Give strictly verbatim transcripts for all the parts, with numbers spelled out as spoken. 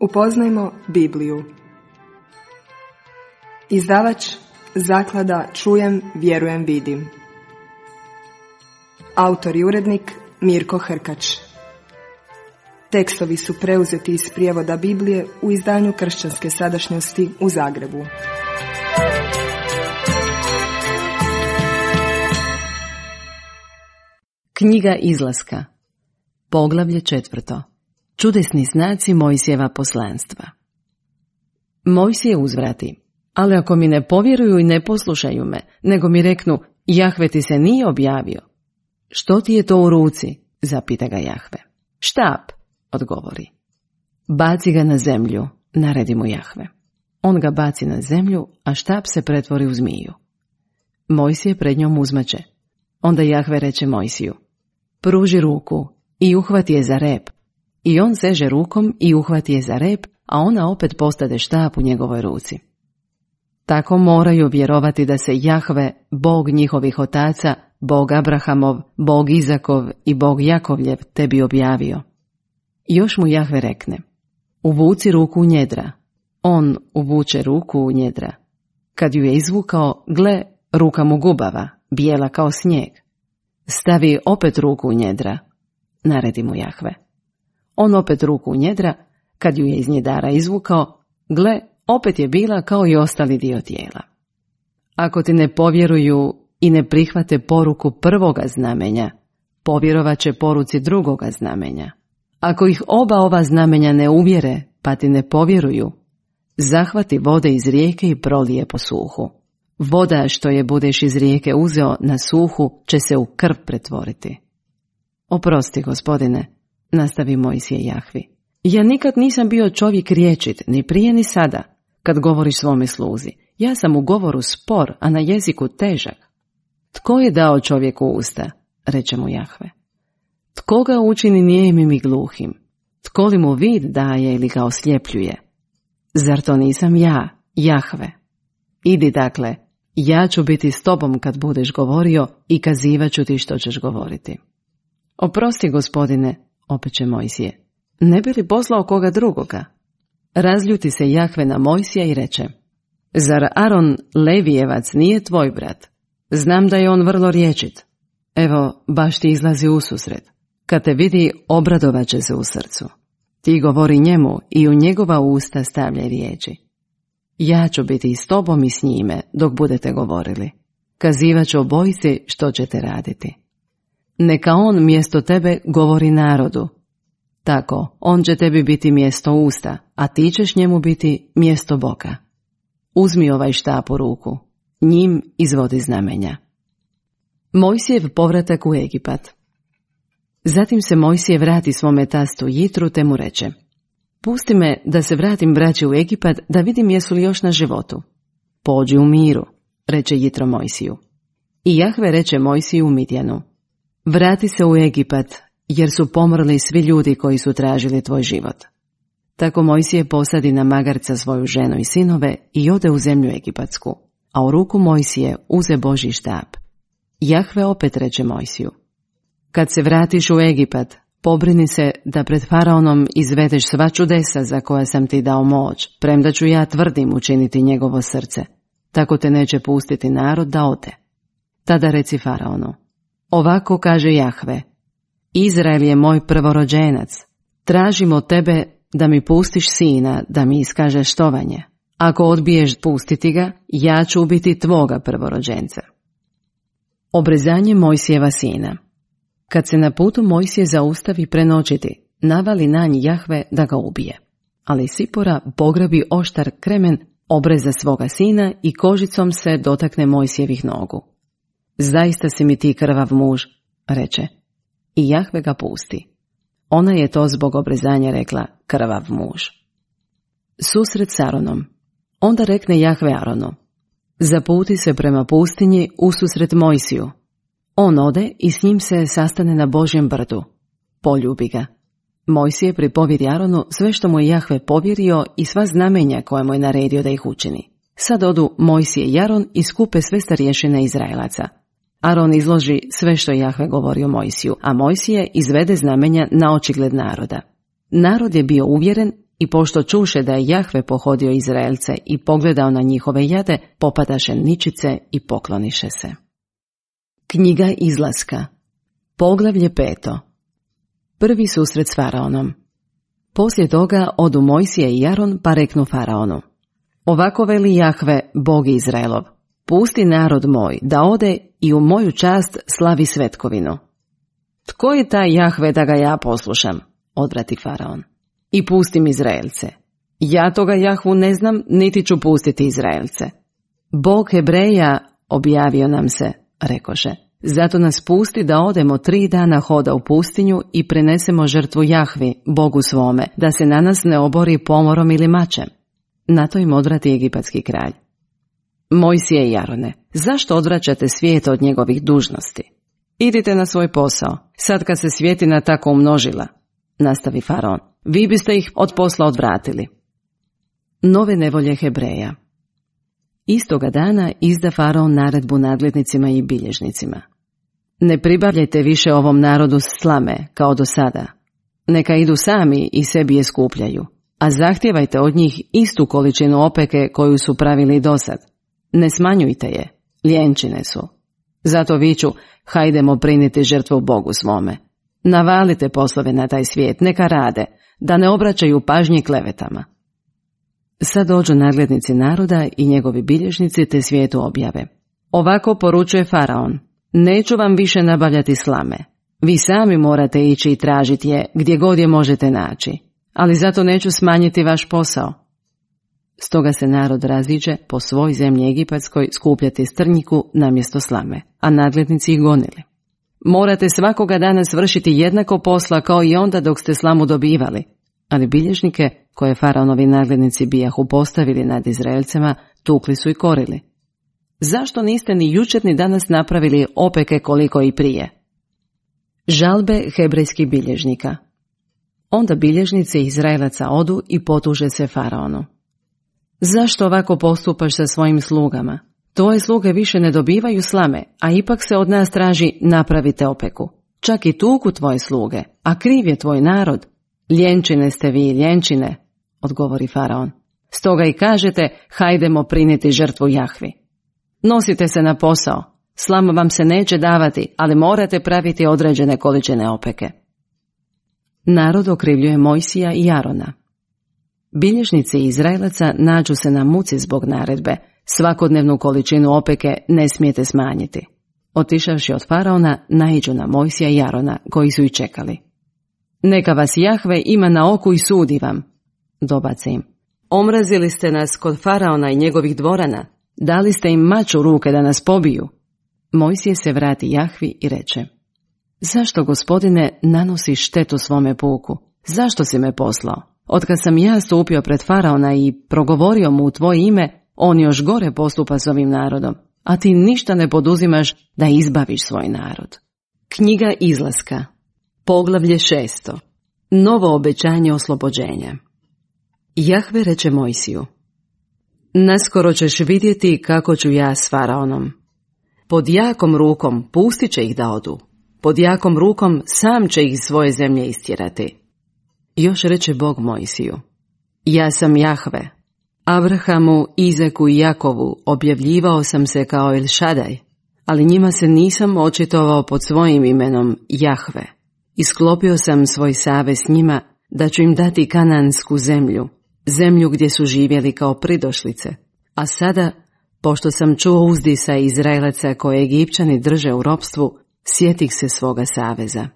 Upoznajmo Bibliju. Izdavač Zaklada Čujem, vjerujem, vidim. Autor i urednik Mirko Hrkač. Tekstovi su preuzeti iz prijevoda Biblije u izdanju Kršćanske sadašnjosti u Zagrebu. Knjiga Izlaska, poglavlje četvrto. Čudesni znaci Mojsijeva poslanstva. Mojsije uzvrati: ali ako mi ne povjeruju i ne poslušaju me, nego mi reknu: Jahve ti se nije objavio. Što ti je to u ruci? Zapita ga Jahve. Štap, odgovori. Baci ga na zemlju, naredi mu Jahve. On ga baci na zemlju, a štap se pretvori u zmiju. Mojsije pred njom uzmače. Onda Jahve reče Mojsiju: pruži ruku i uhvati je za rep. I on seže rukom i uhvati je za rep, a ona opet postade štap u njegovoj ruci. Tako moraju vjerovati da se Jahve, Bog njihovih otaca, Bog Abrahamov, Bog Izakov i Bog Jakovljev tebi objavio. Još mu Jahve rekne: uvuci ruku u njedra. On uvuče ruku u njedra. Kad ju je izvukao, gle, ruka mu gubava, bijela kao snijeg. Stavi opet ruku u njedra, naredi mu Jahve. On opet ruku u njedra, kad ju je iz njedara izvukao, gle, opet je bila kao i ostali dio tijela. Ako ti ne povjeruju i ne prihvate poruku prvoga znamenja, povjerovat će poruci drugoga znamenja. Ako ih oba ova znamenja ne uvjere, pa ti ne povjeruju, zahvati vode iz rijeke i prolije po suhu. Voda što je budeš iz rijeke uzeo na suhu će se u krv pretvoriti. Oprosti, gospodine, nastavi Mojsije Jahvi. Ja nikad nisam bio čovjek riječit, ni prije ni sada, kad govoriš svome sluzi. Ja sam u govoru spor, a na jeziku težak. Tko je dao čovjeku usta? Reče mu Jahve. Tko ga učini nijemim i gluhim? Tko li mu vid daje ili ga osljepljuje? Zar to nisam ja, Jahve? Idi dakle, ja ću biti s tobom kad budeš govorio i kazivat ću ti što ćeš govoriti. Oprosti, gospodine, opeče Mojsije, ne bi li poslao koga drugoga? Razljuti se Jahve na Mojsija i reče: zar Aron Levijevac nije tvoj brat? Znam da je on vrlo riječit. Evo, baš ti izlazi ususret. Kad te vidi, obradovat će se u srcu. Ti govori njemu i u njegova usta stavljaj riječi. Ja ću biti i s tobom i s njime dok budete govorili. Kazivat ću obojici što ćete raditi. Neka on mjesto tebe govori narodu. Tako, on će tebi biti mjesto usta, a ti ćeš njemu biti mjesto boka. Uzmi ovaj štap u ruku, njim izvodi znamenja. Mojsijev povratak u Egipat. Zatim se Mojsije vrati svome tastu Jitru te mu reče: pusti me da se vratim braći u Egipat da vidim jesu li još na životu. Pođi u miru, reče Jitro Mojsiju. I Jahve reče Mojsiju u Midjanu: vrati se u Egipat, jer su pomrli svi ljudi koji su tražili tvoj život. Tako Mojsije posadi na magarca svoju ženu i sinove i ode u zemlju Egipatsku, a u ruku Mojsije uze Božji štap. Jahve opet reče Mojsiju: kad se vratiš u Egipat, pobrini se da pred faraonom izvedeš sva čudesa za koja sam ti dao moć, premda ću ja tvrdim učiniti njegovo srce. Tako te neće pustiti narod da ode. Tada reci faraonu: ovako kaže Jahve: Izrael je moj prvorođenac. Tražim od tebe da mi pustiš sina, da mi iskažeš štovanje. Ako odbiješ pustiti ga, ja ću ubiti tvoga prvorođenca. Obrezanje Mojsijeva sina. Kad se na putu Mojsije zaustavi prenoćiti, navali na nj Jahve da ga ubije. Ali Sipora pograbi oštar kremen, obreza svoga sina i kožicom se dotakne Mojsijevih nogu. Zaista si mi ti krvav muž, reče. I Jahve ga pusti. Ona je to zbog obrezanja rekla krvav muž. Susret s Aronom. Onda rekne Jahve Aronu: zaputi se prema pustinji ususret Mojsiju. On ode i s njim se sastane na Božjem brdu. Poljubi ga. Mojsije pripovjeri Aronu sve što mu je Jahve povjerio i sva znamenja koja mu je naredio da ih učini. Sad odu Mojsije i Aron i skupe sve starješine Izraelaca. Aron izloži sve što je Jahve govorio Mojsiju, a Mojsije izvede znamenja na očigled naroda. Narod je bio uvjeren I pošto čuše da je Jahve pohodio Izraelce i pogledao na njihove jade, popadaše ničice i pokloniše se. Knjiga Izlaska, poglavlje peto. Prvi susret s Faraonom. Poslije toga odu Mojsije i Aron pa reknu Faraonu: Ovako veli Jahve, Bog Izraelov, pusti narod moj da ode i u moju čast slavi svetkovinu. Tko je taj Jahve da ga ja poslušam? Odvrati Faraon. I pustim Izraelce. Ja toga Jahvu ne znam, niti ću pustiti Izraelce. Bog Hebreja objavio nam se, rekoše, zato nas pusti da odemo tri dana hoda u pustinju i prinesemo žrtvu Jahvi, Bogu svome, da se na nas ne obori pomorom ili mačem. Na to im odvrati egipatski kralj. Mojsije i Arone, zašto odvraćate svijet od njegovih dužnosti? Idite na svoj posao, sad kad se svjetina tako umnožila, nastavi Faraon, vi biste ih od posla odvratili. Nove nevolje Hebreja. Istoga dana izda Faraon naredbu nadglednicima i bilježnicima. Ne pribavljajte više ovom narodu slame, kao do sada. Neka idu sami i sebi je skupljaju, a zahtijevajte od njih istu količinu opeke koju su pravili dosad. Ne smanjujte je, ljenčine su. Zato viču, hajdemo priniti žrtvu Bogu svome. Navalite poslove na taj svijet, neka rade, da ne obraćaju pažnji klevetama. Sad dođu nadglednici naroda i njegovi bilježnici te svijetu objave. Ovako poručuje Faraon, neću vam više nabavljati slame. Vi sami morate ići i tražiti je gdje god je možete naći, ali zato neću smanjiti vaš posao. Stoga se narod raziđe po svoj zemlji egipatskoj skupljati strnjiku namjesto slame, a nadglednici ih gonili. Morate svakoga dana svršiti jednako posla kao i onda dok ste slamu dobivali, ali bilježnike, koje Faraonovi nadglednici bijahu postavili nad Izraelcima, tukli su i korili. Zašto niste ni jučer ni danas napravili opeke koliko i prije? Žalbe hebrejskih bilježnika. Onda bilježnici Izraelaca odu i potuže se Faraonu. Zašto ovako postupaš sa svojim slugama? Tvoje sluge više ne dobivaju slame, a ipak se od nas traži napravite opeku. Čak i tuku tvoje sluge, a kriv je tvoj narod. Ljenčine ste vi, ljenčine, odgovori Faraon. Stoga i kažete, hajdemo prinijeti žrtvu Jahvi. Nosite se na posao, slama vam se neće davati, ali morate praviti određene količine opeke. Narod okrivljuje Mojsija i Arona. Bilježnici Izraelaca nađu se na muci zbog naredbe, svakodnevnu količinu opeke ne smijete smanjiti. Otišavši od Faraona, naiđu na Mojsija i Arona, koji su i čekali. Neka vas Jahve ima na oku i sudi vam, dobace im. Omrazili ste nas kod Faraona i njegovih dvorana, dali ste im mač u ruke da nas pobiju. Mojsije se vrati Jahvi i reče, zašto, gospodine, nanosiš štetu svome puku? Zašto si me poslao? Otkad sam ja stupio pred Faraona i progovorio mu u tvoje ime, on još gore postupa s ovim narodom, a ti ništa ne poduzimaš da izbaviš svoj narod. Knjiga Izlaska, poglavlje šesto. Novo obećanje oslobođenja. Jahve reče Mojsiju, naskoro ćeš vidjeti kako ću ja s Faraonom. Pod jakom rukom pustit će ih da odu, pod jakom rukom sam će ih iz svoje zemlje istjerati. Još reče Bog Mojsiju, ja sam Jahve, Abrahamu, Izaku i Jakovu objavljivao sam se kao El Šadaj, ali njima se nisam očitovao pod svojim imenom Jahve. Isklopio sam svoj savez s njima da ću im dati kanansku zemlju, zemlju gdje su živjeli kao pridošlice. A sada, pošto sam čuo uzdisa Izraelaca koje Egipćani drže u ropstvu, sjetih se svoga saveza.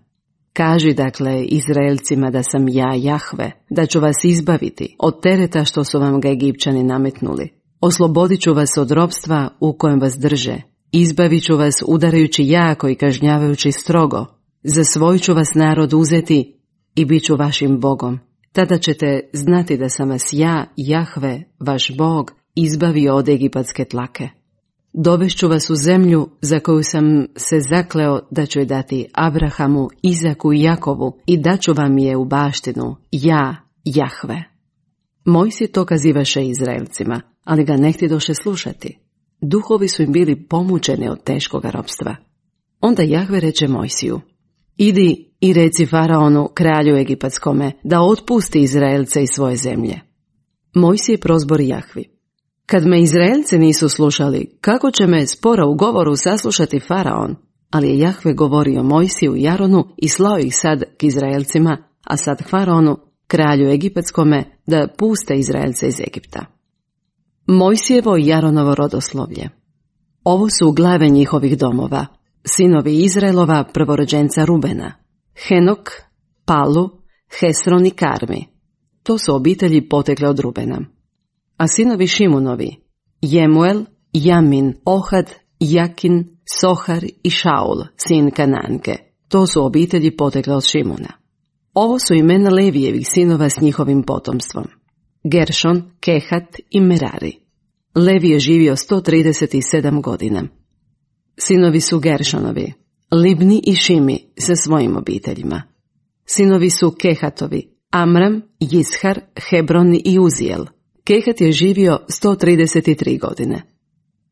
Kaži dakle Izraelcima da sam ja Jahve, da ću vas izbaviti od tereta što su vam ga Egipćani nametnuli. Oslobodit ću vas od ropstva u kojem vas drže. Izbavit ću vas udarajući jako i kažnjavajući strogo. Za svoj ću vas narod uzeti i bit ću vašim Bogom. Tada ćete znati da sam vas ja, Jahve, vaš Bog, izbavio od egipatske tlake. Dovešću vas u zemlju za koju sam se zakleo da ću je dati Abrahamu, Izaku i Jakovu i daću vam je u baštinu, ja, Jahve. Mojsije to kazivaše Izraelcima, ali ga ne htjedoše slušati. Duhovi su im bili pomučeni od teškoga ropstva. Onda Jahve reče Mojsiju, idi i reci Faraonu, kralju egipatskome, da otpusti Izraelce iz svoje zemlje. Mojsije prozbori Jahvi. Kad me Izraelce nisu slušali, kako će me spora u govoru saslušati Faraon? Ali je Jahve govorio Mojsiju i Aronu i slao ih sad k Izraelcima, a sad Faraonu, kralju egipatskome, da puste Izraelce iz Egipta. Mojsijevo i Aronovo rodoslovlje. Ovo su glave njihovih domova, sinovi Izraelova prvorođenca Rubena, Henok, Palu, Hesron i Karmi. To su obitelji potekle od Rubena. A sinovi Šimunovi, Jemuel, Jamin, Ohad, Jakin, Sohar i Šaul, sin Kananke. To su obitelji potekle od Šimuna. Ovo su imena Levijevih sinova s njihovim potomstvom. Geršon, Kehat i Merari. Levi je živio sto trideset sedam godina. Sinovi su Geršonovi, Libni i Šimi sa svojim obiteljima. Sinovi su Kehatovi, Amram, Jishar, Hebron i Uzijel. Kehat je živio sto trideset tri godine.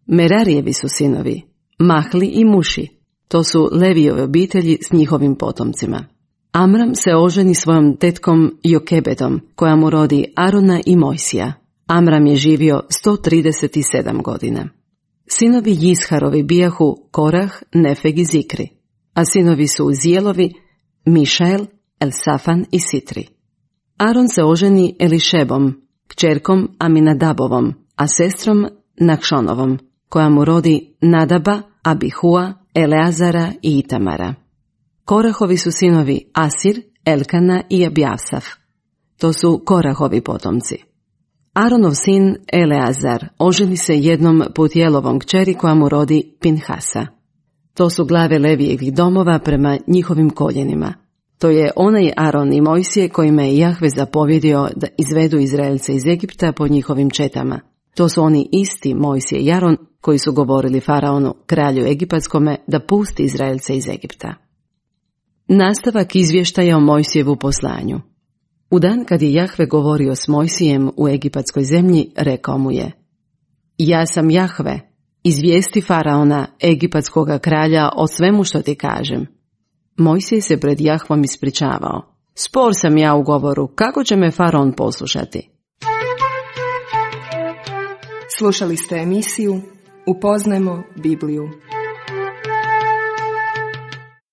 Merarijevi su sinovi, Mahli i Muši. To su Levijove obitelji s njihovim potomcima. Amram se oženi svojom tetkom Jokebedom, koja mu rodi Arona i Mojsija. Amram je živio sto trideset sedam godina. Sinovi Jisharovi bijahu Korah, Nefeg i Zikri, a sinovi su Uzijelovi, Mišael, Elsafan i Sitri. Aron se oženi Elišebom, kćerkom Aminadabovom, a sestrom Nakšonovom, koja mu rodi Nadaba, Abihua, Eleazara i Itamara. Korahovi su sinovi Asir, Elkana i Abjasaf. To su Korahovi potomci. Aronov sin Eleazar oženi se jednom Putjelovom kćeri koja mu rodi Pinhasa. To su glave Levijevih domova prema njihovim koljenima. To je onaj Aron i Mojsije kojima je Jahve zapovjedio da izvedu Izraelce iz Egipta po njihovim četama. To su oni isti Mojsije i Aron koji su govorili Faraonu, kralju egipatskome, da pusti Izraelce iz Egipta. Nastavak izvještaja o Mojsijevu poslanju. U dan kad je Jahve govorio s Mojsijem u egipatskoj zemlji, rekao mu je: Ja sam Jahve, izvijesti Faraona, egipatskoga kralja, o svemu što ti kažem. Mojsije se pred Jahvom ispričavao: Spor sam ja u govoru, kako će me Faraon poslušati? Slušali ste emisiju Upoznajmo Bibliju.